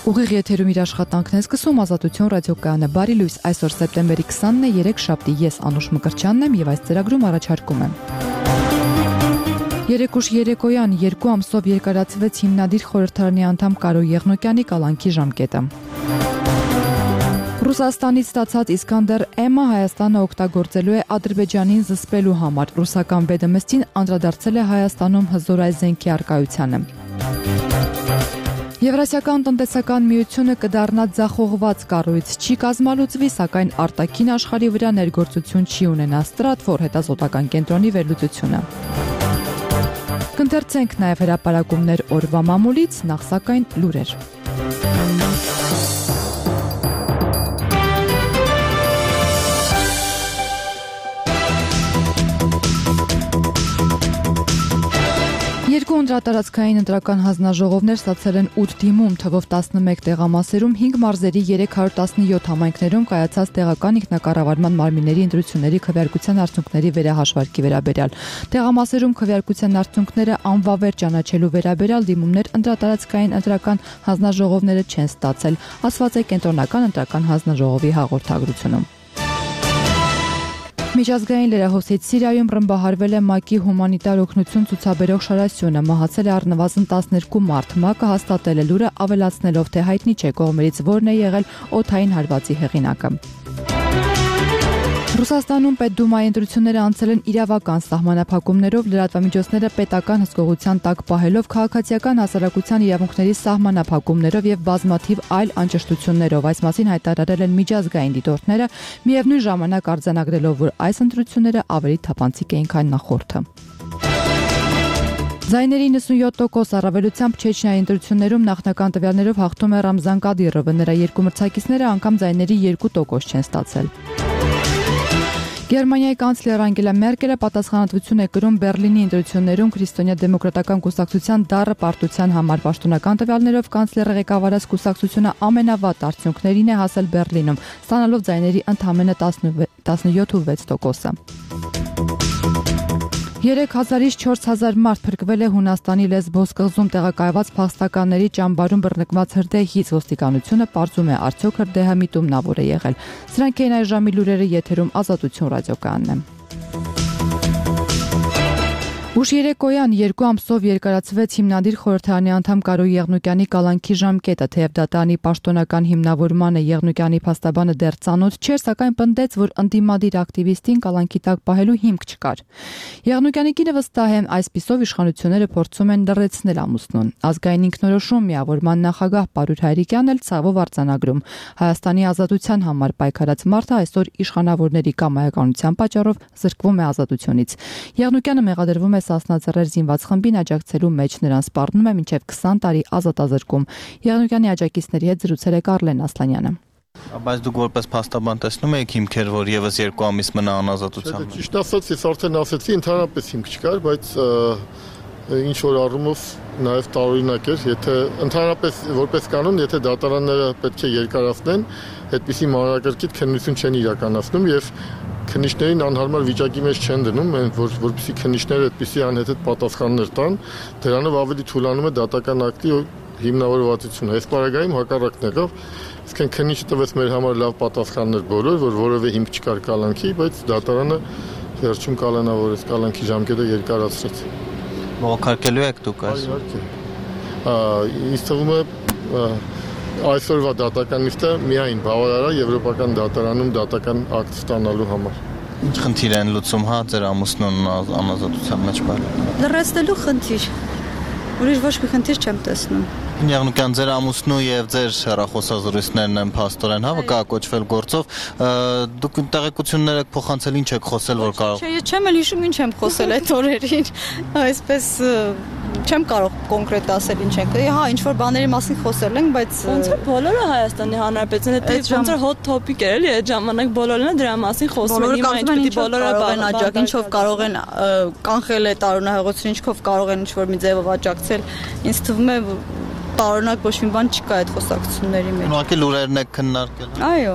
Ուղիղ եթերում իր աշխատանքն է սկսում Ազատություն ռադիոկայանը։ Բարի լույս, այսօր սեպտեմբերի 20-ն է, երեքշաբթի, ես Անուշ Մկրտչյանն եմ եւ այս ծրագրում առաջարկում եմ։ Երեկուշ երեկոյան 2 ամսով երկարացվեց հիմնադիր խորհրդարանի անդամ Կարո Եղնոկյանի կալանքի ժամկետը։ Ռուսաստանից ստացած Իսկանդեր M-ը Հայաստանը օգտագործելու է Ադրբեջանին զսպելու համար։ Ռուսական Բեդեմստին անդրադարձել է Հայաստանում հզոր այս զենքի առկայությանը։ Եվրասիական տնտեսական միությունը կդառնա ձախողված կառույց, չի կազմալուծվի, սակայն արտաքին աշխարհի վրա ներգործություն չի ունենա Stratfor հետազոտական կենտրոնի վերլուծությունը։ Կընթերցենք նաև հրապարակումներ օրվա մամուլից, նախ սակայն լուրեր։ Երկու անդրատարածքային ընտրական հանձնաժողովներ ստացել են 8 դիմում, թվով 11 տեղամասերում, 5 մարզերի 317 համայնքներում կայացած տեղական ինքնակառավարման մարմինների ընտրությունների քվեարկության արդյունքների վերահաշվարկի վերաբերյալ։ Տեղամասերում քվեարկության արդյունքները անվավեր ճանաչելու վերաբերյալ դիմումներ անդրատարածքային ընտրական հանձնաժողովները չեն ստացել, ասված է կենտրոնական ընտրական հանձնաժողովի հաղորդագրությունում։ Միջազգային լրահոսից Սիրիայում ռմբահարվել է ՄԱԿ-ի հումանիտար օգնություն ցուցաբերող շարասյունը, մահացել է առնվազն 12 մարդ։ ՄԱԿ-ը հաստատել է լուրը, ավելացնելով, թե հայտնի չէ կողմերից որն է եղել օդային հարվածի հեղինակը։ Ռուսաստանում Պետդումայի ընտրությունները անցել են իրավական սահմանափակումներով, լրատվամիջոցները պետական հսկողության տակ պահելով, քաղաքացիական հասարակության իրավունքների սահմանափակումներով եւ բազմաթիվ այլ անճշտություններով։ Այս մասին հայտարարել են միջազգային դիտորդները, միևնույն ժամանակ արձանագրելով, որ այս ընտրությունները ավելի թափանցիկ էին, քան նախորդը։ Ձայների 97% առավելությամբ Չեչնիայի ընտրություններում նախնական տվյալներով հաղթում է Ռամզան Կադիրովը, նրա երկու մրցակիցները անգամ ձայների 2% չեն ստացել։ Գերմանիայի կանցլեր Անգելա Մերկելը պատասխանատվություն է կրում Բերլինի ընտրություններում քրիստոնյա դեմոկրատական կուսակցության դառը պարտության համար։ Պաշտոնական տվյալներով կանցլերը ղեկավարած կուսակցությունը ամենավատ արդյունքներին է հասել Բերլինում, ստանալով ձայների ընդամենը 17.6%-ը։ 3000-ից 4000 մարդ փրկվել է Հունաստանի Լեսբոս կղզում տեղակայված փախստականների ճամբարում բռնկված հրդեհից։ Ոստիկանությունը պարզում է, արդյոք հրդեհը միտումնավոր է եղել։ Սրանք են այս ժամի լուրերը, եթերում Ազատություն ռադիոկայանն է։ Ուշ երեկոյան 2 ամսով երկարացվեց հիմնադիր խորհրդարանի անդամ Կարո Եղնոկյանի կալանքի ժամկետը, թեև դատարանի պաշտոնական հիմնավորմանը Եղնոկյանի փաստաբանը դեռ ծանոթ չէր, սակայն պնդեց, որ ընդդիմադիր ակտիվիստին կալանքի տակ պահելու հիմք չկար։ Եղնոկյանի կինը վստահ է, այսպիսով իշխանությունները փորձում են լռեցնել ամուսնուն։ Ազգային ինքնորոշում միավորման նախագահ Պարուր Հայրիկյանն էլ ցավով արձանագրում. Հայաստանի ազատության համար պայքարած մարդը այսօր իշխանավորների կամայականության պատճառով զրկվում է ազատությունից։ Եղնոկյանը մեղադրվում է Սասնաձեռեր զինված խմբին աջակցելու մեջ, նրան սպառնում է մինչև 20 տարի ազատազրկում։ Եղնոկյանի աջակիցների հետ զրուցել է Կարլեն Ասլանյանը։ Բայց դուք որպես փաստաբան տեսնում եք հիմքեր, որ եւս 2 ամիս մնա անազատության մեջ։ Ճիշտ ասած, ես արդեն ասացի, ընդհանրապես հիմք չկար, բայց ինչ որ առումով նաև տարօրինակ էր, եթե ընդհանրապես որպես կանոն, եթե դատարանները պետք է երկարացնեն, այդպիսի մանրակրկիտ քննություն չեն իրականացնում եւ քննիչներին անհարմար վիճակի մեջ չեն դնում, որպեսզի քննիչները այդպիսի անհետ պատասխաններ տան, դրանով ավելի թուլանում է դատական ակտի հիմնավորվածությունը։ Այս պարագայում հակառակն եղավ, իսկ քննիչը տվեց մեր համար լավ պատասխաններ բոլոր, որ որևէ հիմք չկար կալանքի, բայց դատարանը վերջում կալանավորեց, կալանքի ժամկետը երկարացրեց։ Բողոքարկելու եք դուք այսօր։ Ինձ թվում է այսօրվա դատական նիստը միայն բավարար է եվրոպական դատարանում դատական ակտ ստանալու համար։ Ինչ խնդիր են լուծում, հա, ձեր ամուսնուն անազատության մեջ բառը։ Լրացնելու խնդիր։ Ուրիշ ոչ մի խնդիր չեմ տեսնում։ Եղնոկյան, ձեր ամուսնու եւ ձեր հեռախոսազրույցներն են փաստորեն, հա, վկայակոչվել գործով։ Դուք տեղեկություններ եք փոխանցել, ինչ եք խոսել, որ կարող։ Չէ, ես չեմ էլ հիշում ինչ եմ խոսել այդ օրերին։ Այսպես չեմ կարող կոնկրետ ասել ինչ ենք։ Հա, ինչ որ բաների մասին խոսել ենք, բայց ոնց է բոլորը Հայաստանի Հանրապետության հետ ոնց որ hot topic էր էլի այդ ժամանակ բոլորն դրա մասին խոսում են։ Հիմա ինչ պիտի բոլորը աջակցեն, ինչով կարող են կանխել այդ տարօրինահեղությունն, ինչով կարող են ինչ որ մի ձևով աջակցել։ Ինձ թվում է տարօրինակ ոչ մի բան չկա այդ խոսակցությունների մեջ։ Ուղղակի լուրերն եք քննարկել։ Այո։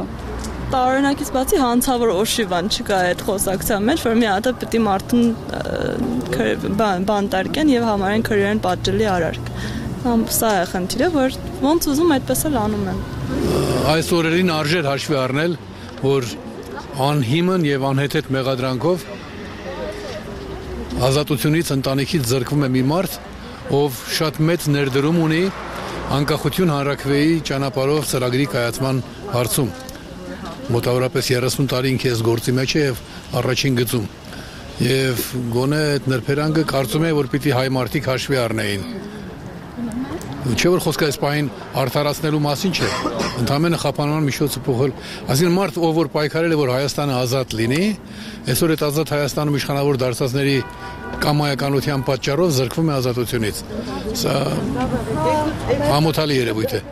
Տարօրինակից բացի հանցավոր օշիվան չկա այդ խոսակցության մեջ, որ մի հատ պիտի մարդուն բանտարկեն եւ համարեն քրեան պատժելի արարք։ Սա է խնդիրը, որ ոնց ուզում այդպես էլ անում են։ Այս օրերին արժեր հաշվի առնել, որ անհիմն եւ անհեթեթ մեղադրանքով ազատությունից ընտանիքից զրկվում է մի մարդ, ով շատ մեծ ներդրում ունի անկախություն հանրաքվեի ճանապարհով ծրագրի կայացման հարցում։ Մոտավորապես 30 տարի ինքես գործի մեջ է եւ առաջին գծում։ Եվ գոնե այդ նրբերանգը կարծում եմ, որ պիտի հայ մարդիկ հաշվի առնեին։ Չէ՞ որ խոսքը այս պահին արդարացնելու մասին չէ։ Ընդհանրապես խափանման միջոցը փոխել։ Այսինքն մարդ, ով որ պայքարել է, որ Հայաստանը ազատ լինի, այսօր այդ ազատ Հայաստանում իշխանավոր դարձածների կամայականության պատճառով զրկվում է ազատությունից։ Սա ամոթալի երևույթ է։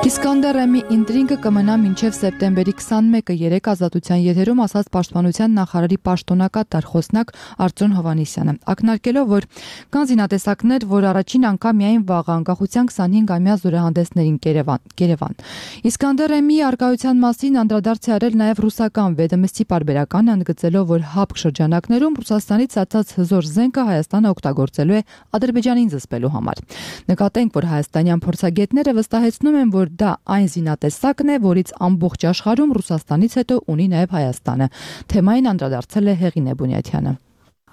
Իսկանդեր Էմի ինտրիգը կմնա մինչև սեպտեմբերի 21-ը երեք ազատության եթերում ասաց Պաշտպանության նախարարի պաշտոնակատար խոսնակ Արտյոմ Հովհաննիսյանը, ակնարկելով, որ կան զինատեսակներ, որ առաջին անգամ միայն վաղ անկախության 25-ամյա զորահանդեսներին Երևան։ Իսկանդեր Էմի արկայության մասին անդրադարձ է արել նաև ռուսական Վեդոմստի պարբերականը, ընդգծելով, որ ՀԱՊԿ շրջանակներում Ռուսաստանից ստացած հզոր զենքը Հայաստանը օգտագործելու է Ադրբեջանին զսպելու համար։ Նկատենք, որ հայաստանյան փորձագետները վստահեցնում են, որ դա այն զինատեսակն է, որից ամբողջ աշխարհում Ռուսաստանից հետո ունի նաև Հայաստանը։ Թեմային անդրադարձել է Հեղինե Բունյաթյանը։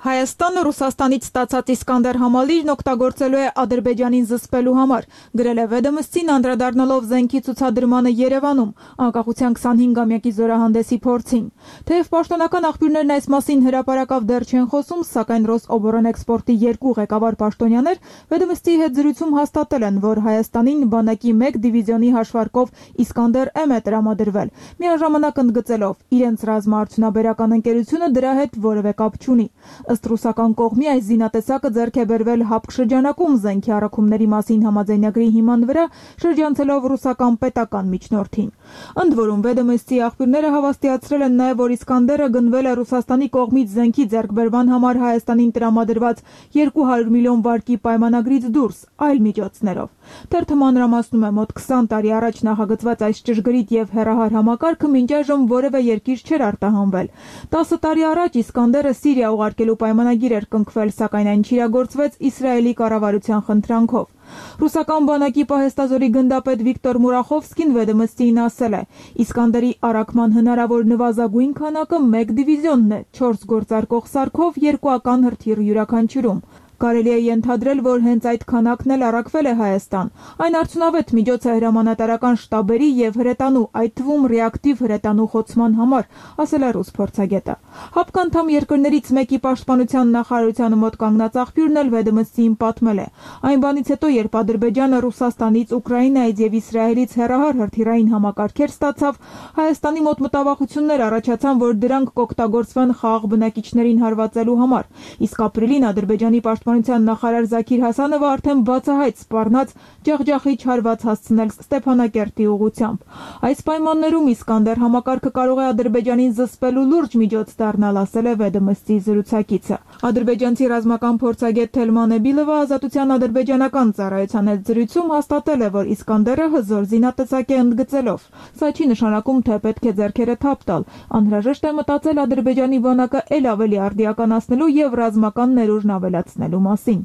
Հայաստանը Ռուսաստանից ստացած Իսկանդեր համալիրն օգտագործելու է Ադրբեջանին զսպելու համար, գրել է Վեդոմստին անդրադառնալով զենքի ցուցադրմանը Երևանում, անկախության 25-ամյակի զորահանդեսի փորձին։ Թեև պաշտոնական աղբյուրներն այս մասին հրապարակավ դեռ չեն խոսում, սակայն Ռոսօբորանէքսպորտի երկու ղեկավար պաշտոնյաներ Վեդոմստի հետ զրույցում հաստատել են, որ Հայաստանին բանակի 1 դիվիզիոնի հաշվարկով Իսկանդեր M է տրամադրվել, միաժամանակ ընդգծելով, իրենց ռազմաարդյունաբերական ընկերությունը դրա հետ որևէ կապ չունի։ Ըստ ռուսական կողմի այս զինատեսակը ձեռք է բերվել ՀԱՊԿ շրջանակում զենքի առաքումների մասին համաձայնագրի հիման վրա շրջանցելով ռուսական պետական միջնորդին։ Ընդ որում Վեդոմստի աղբյուրները հավաստիացրել են նաև, որ Իսկանդերը գնվել է Ռուսաստանի կողմից զենքի ձեռքբերման համար Հայաստանին տրամադրված 200 միլիոն վարկի պայմանագրից դուրս այլ միջոցներով։ Թերթը մանրամասնում է, մոտ 20 տարի առաջ նախագծված այս ճշգրիտ եւ հեռահար համակարգը մինչ այժմ որևէ երկիր չէր արտահանվել։ 10 տարի առաջ Իսկանդերը Սիրիա ուղարկելու պայմանագիր էր կնքվել, սակայն այն չիրագործվեց Իսրայելի կառավարության խնդրանքով։ Ռուսական բանակի պահեստազորի գնդապետ Վիկտոր Մուրախովսկին Վեդոմստիին ասել է. Իսկանդերի առաքման հնարավոր նվազագույն քանակը 1 դիվիզիոնն է, 4 գործարկող սարքով, 2 ական հրթիռ յուրաքանչյուրում։ Կարելի է ենթադրել, որ հենց այդ քանակն էլ առաքվել է Հայաստան։ Այն արդյունավետ միջոց է հրամանատարական շտաբերի եւ հրետանու, այդ թվում ռեակտիվ հրետանու խոցման համար, ասել է ռուս փորձագետը։ ՀԱՊԿ անդամ երկրներից մեկի պաշտպանության նախարարության մոտ կանգնած աղբյուրն էլ Վեդոմստիին պատմել է։ Այն բանից հետո, երբ Ադրբեջանը Ռուսաստանից, Ուկրաինայից եւ Իսրայելից հեռահար հրթիռային համակարգեր ստացավ, Հայաստանի մոտ մտավախություններ առաջացան, որ դրանք կօգտագործվեն խաղաղ բնակիչներին հարվածելու համար։ Իսկ ապրիլին Ադրբեջանի պաշտպանության նախարար Զաքիր Հասանովը արդեն բացահայտ սպառնաց ջախջախի չարված հասցնել Ստեփանակերտի ուղղությամբ։ Այս պայմաններում Իսկանդեր համակարգը կարող է Ադրբեջանին զսպելու լուրջ միջոց դառնալ, ասել է Վեդոմստի զրուցակիցը։ Ադրբեջանցի ռազմական փորձագետ Թելման Էբիլովը Ազատության ադրբեջանական ծառայության հետ զրույցում հաստատել է, որ Իսկանդերը հզոր զինատեսակ է, ընդգծելով. Սա չի նշանակում, թե պետք է ձեռքերը թափ տալ։ Անհրաժեշտ է մտածել Ադրբեջանի բանակը ել ավելի արդիականացնելու եւ ռազմական ներուժն ավելացնելու մասին։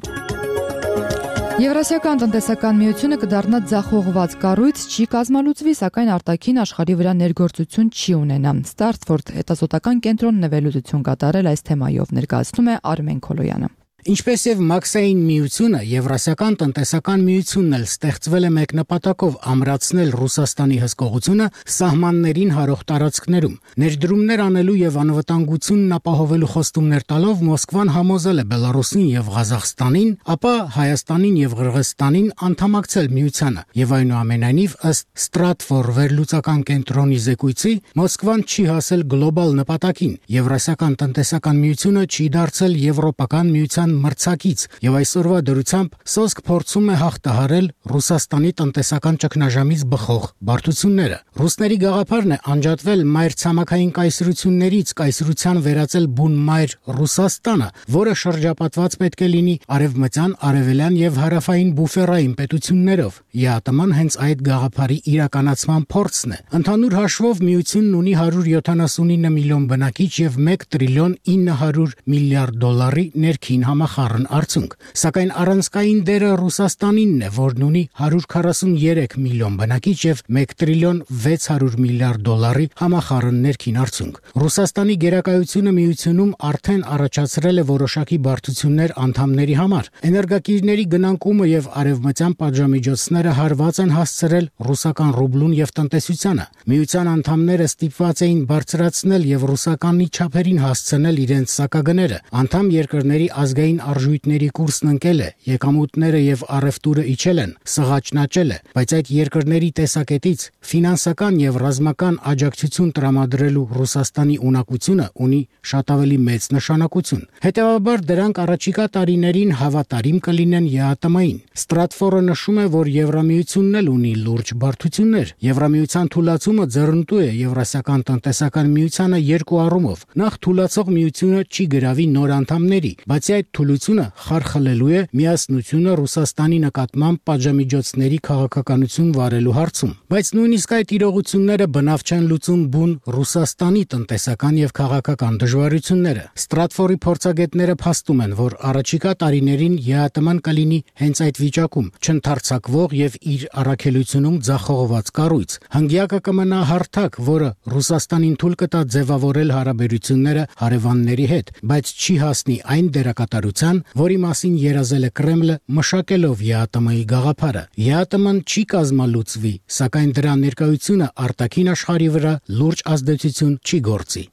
Եվրասիական տնտեսական միությունը կդառնա ձախողված կառույց, չի կազմալուծվի, սակայն արտաքին աշխարհի վրա ներգործություն չի ունենա։ Ստարտֆորդ հետազոտական կենտրոնն է վերլուծություն կատարել այս թեմայով, ներկայացնում է Արմեն Քոլոյանը։ Ինչպես եւ Մաքսային միությունը, Եվրասիական տնտեսական միությունն էլ ստեղծվել է մեկ նպատակով՝ ամրացնել Ռուսաստանի հսկողությունը սահմաններին հարող տարածքներում։ Ներդրումներ անելու եւ անվտանգությունն ապահովելու խոստումներ տալով Մոսկվան համոզել է Բելարուսին եւ Ղազախստանին, ապա Հայաստանին եւ Ղրղստանին անդամակցել միությանը։ Եվ այնուամենայնիվ ըստ Ստրատֆոր վերլուծական կենտրոնի զեկույցի, Մոսկվան չի հասել գլոբալ նպատակին։ Եվրասիական տնտեսական միությունը չի դարձել եվրոպական միության մրցակից եւ այսօրվա դրությամբ սոսկ փորձում է հաղթահարել Ռուսաստանի տնտեսական ճգնաժամից բխող բարդությունները։ Ռուսների գաղափարն է անջատվել մայր ցամաքային կայսրություններից, կայսրության վերածել բուն մայր Ռուսաստանը, որը շրջապատված պետք է լինի արևմտյան, արևելյան եւ հարավային բուֆերային պետություններով։ ԵԱՏՄ-ն հենց այդ գաղափարի իրականացման փորձն է։ Ընդհանուր հաշվով միությունն ունի 179 միլիոն բնակիչ եւ 1 տրիլիոն 900 միլիարդ դոլարի ներքին համախառն արդյունք։ Սակայն առանցքային դերը Ռուսաստանինն է, որն ունի 143 միլիոն բնակիչ եւ 1 տրիլիոն 600 միլիարդ դոլարի համախառն ներքին արդյունք։ Ռուսաստանի գերակայությունը միությունում արդեն առաջացրել է որոշակի բարդություններ անդամների համար։ Էներգակիրների գնանկումը եւ արևմտյան պատժամիջոցները հարված են հասցրել ռուսական ռուբլուն եւ տնտեսությանը։ Միության անդամները ստիպված էին բարձրացնել եւ ռուսականի չափերին հասցնել իրենց սակագները։ Անդամ երկրների ազգային արժույթների կուրսն ընկել է, եկամուտները եւ առևտուրը իջել են, սղաճն աճել է, բայց այդ երկրների տեսակետից ֆինանսական եւ ռազմական աջակցություն տրամադրելու Ռուսաստանի ունակությունը ունի շատ ավելի մեծ նշանակություն։ Հետևաբար դրանք առաջիկա տարիներին հավատարիմ կլինեն ԵԱՏՄ-ին։ Ստրատֆորը նշում է, որ Եվրամիությունն էլ ունի լուրջ բարդություններ։ Եվրամիության թուլացումը ձեռնտու է Եվրասիական տնտեսական միությանը երկու առումով։ Նախ թուլացող միությունը չի գրավի նոր անդամների, բացի այդ թուլությունը խարխլելու է միասնությունը Ռուսաստանի նկատմամբ պատժամիջոցների քաղաքականություն վարելու հարցում։ Բայց նույնիսկ այդ իրողությունները բնավ չեն լուծում բուն Ռուսաստանի տնտեսական եւ քաղաքական դժվարությունները։ Ստրատֆորի փորձագետները փաստում են, որ առաջիկա տարիներին ԵԱՏՄ-ն կլինի հենց այդ վիճակում, չընթարցակվող եւ իր առաքելությունում ձախողված կառույց։ Հնգյակը կմնա հարթակ, որը Ռուսաստանին թույլ կտա ձևավորել հարաբերությունները հարևանների հետ, բայց չի հասնի այն դերակատարության, որի մասին երազել է Կրեմլը, մշակելով ԵԱՏՄ-ի գաղափարը։ ԵԱՏՄ-ն չի կազմալուծվի, սակայն դրա ներկայությունը արտաքին աշխարհի վրա լուրջ ազդեցություն չի գործի։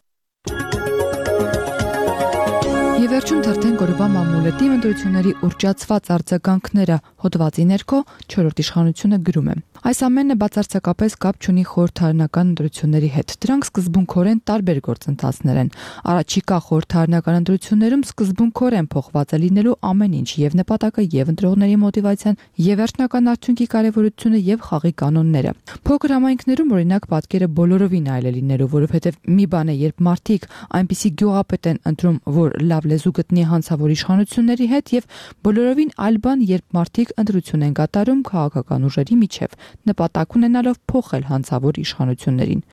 Եվերջում թերթեն գորովա մամուլետի ընտրությունների ուռճացված արձագանքները հոդվածի ներքո 4-րդ իշխանությունը գրում է. Այս ամենը բացարձակապես կապ չունի խորհրդարանական ընտրությունների հետ։ Դրանք սկզբունքորեն տարբեր գործընթացներ են։ Առաջիկա խորհրդարանական ընտրություններում սկզբունքորեն փոխված է լինելու ամեն ինչ, եւ նպատակը, եւ ընտրողների մոտիվացիան, եւ վերջնական արդյունքի կարեւորությունը, եւ խաղի կանոնները։ Փոքր համայնքներում օրինակ պատկերը բոլորովին այլ է լինելու, որովհետեւ մի բան է, երբ մարդիկ այնպիսի գյուղապետ են ընտրում, որ լավ լեզու գտնի հանցավոր իշխանությունների հետ, եւ բոլորովին այլ բան, երբ մարդիկ ընտրություն են կատարում քաղաքական ուժերի միջև, նպատակ ունենալով փոխել հանցավոր իշխանություններին։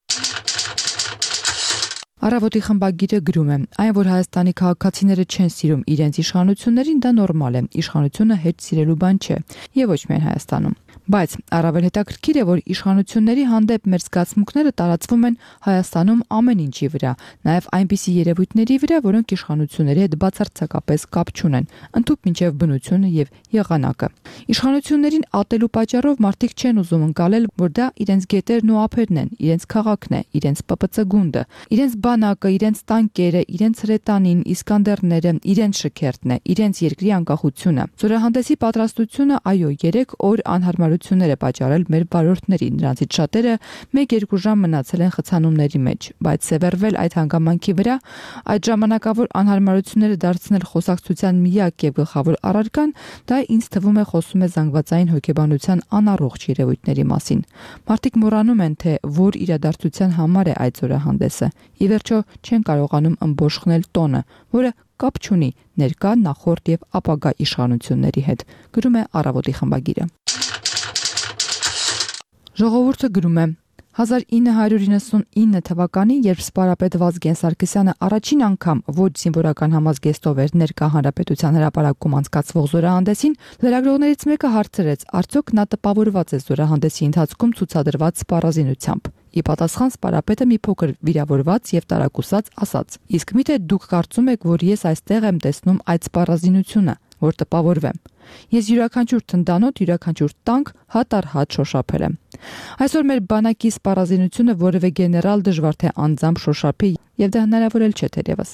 Առավոտի խմբագիրը գրում է. այն, որ Հայաստանի քաղաքացիները չեն սիրում իրենց իշխանություններին, դա նորմալ է, իշխանությունը հետ սիրելու բան չէ, եւ ոչ միայն Հայաստանում։ Բայց առավել հետաքրքիր է, որ իշխանությունների հանդեպ մեր զգացմունքները տարածվում են Հայաստանում ամեն ինչի վրա, նաև այնպիսի երևույթների վրա, որոնք իշխանությունների հետ բացարձակապես կապ չունեն, ընդհանուր մինչև բնությունը եւ եղանակը։ Իշխանություններին ատելու պատճառով մարդիկ չեն ուզում ընկալել, որ դա իրենց գետերն ու ափերն են, իրենց քաղաքն է, իրենց ՊՊՑ գունդը, իրենց բանակը, իրենց տանկերը, իրենց հրետանին, Իսկանդերները, իրենց շքերթն է, իրենց երկրի անկախությունը։ Զորահանդեսի պատրաստությունը, այո, 3 օր անհարմարություններ է պատճառել մեր վարորդներին, նրանցից շատերը 1-2 ժամ մնացել են խցանումների մեջ, բայց սևեռվել այդ հանգամանքի վրա, այդ ժամանակավոր անհարմարությունները դարձնել խոսակցության միակ եւ գլխավոր առարկան, դա ինձ թվում է խոսում է զանգվածային հոգեբանության անառողջ երևույթների մասին։ Մարդիկ մոռանում են, թե որ իրադարձության համար է այդ զորահանդեսը։ Ի վերջո չեն կարողանում ըմբոշխնել տոնը, որը կապ չունի ներկա, նախորդ եւ ապագա իշխանությունների հետ, գրում է Առավոտի խմբագիրը։ Ժողովուրդը գրում է. 1999 թվականին, երբ սպարապետ Վազգեն Սարգսյանը առաջին անգամ ոչ զինվորական համազգեստով էր ներկա հանրապետության հրապարակում անցկացվող զորահանդեսին, լրագրողներից մեկը հարցրեց, արդյոք նա տպավորված է զորահանդեսի ընթացքում ցուցադրված սպառազինությամբ։ Ի պատասխան սպարապետը մի փոքր վիրավորված եւ տարակուսած ասաց. Իսկ միթե դուք կարծում եք, որ ես այստեղ եմ տեսնում այդ սպառազինությունը, որ տպավորվեմ։ Ես յուրաքանչյուր թնդանոթ, յուրաքանչյուր տանկ հատ առ հատ շոշափել եմ։ Այսօր մեր բանակի սպառազինությունը որևէ գեներալ դժվար թե անձամբ շոշափի, եւ դա հնարավոր էլ չէ թերևս։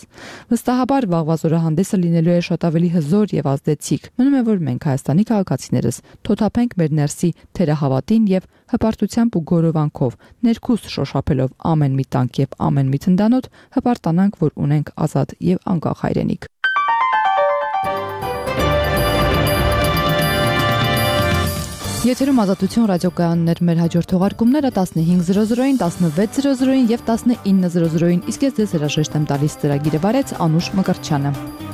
Վստահաբար վաղվա զորահանդեսը լինելու է շատ ավելի հզոր եւ ազդեցիկ։ Մնում է, որ մենք Հայաստանի քաղաքացիներս թոթափենք մեր ներսի թերահավատին եւ հպարտությամբ ու գորովանքով, ներքուս շոշափելով ամեն մի տանկ եւ ամեն մի թնդանոթ, հպարտանանք, որ ունենք ազատ եւ անկախ հայրենիք։ Եթերում Ազատություն ռադիոկայաններ, մեր հաջորդ թողարկումները 15:00-ին, 16:00-ին եւ 19:00-ին, իսկ ես ձեզ հրաժեշտ եմ տալիս ծրագիրը վարեց Անուշ Մկրտչյանը։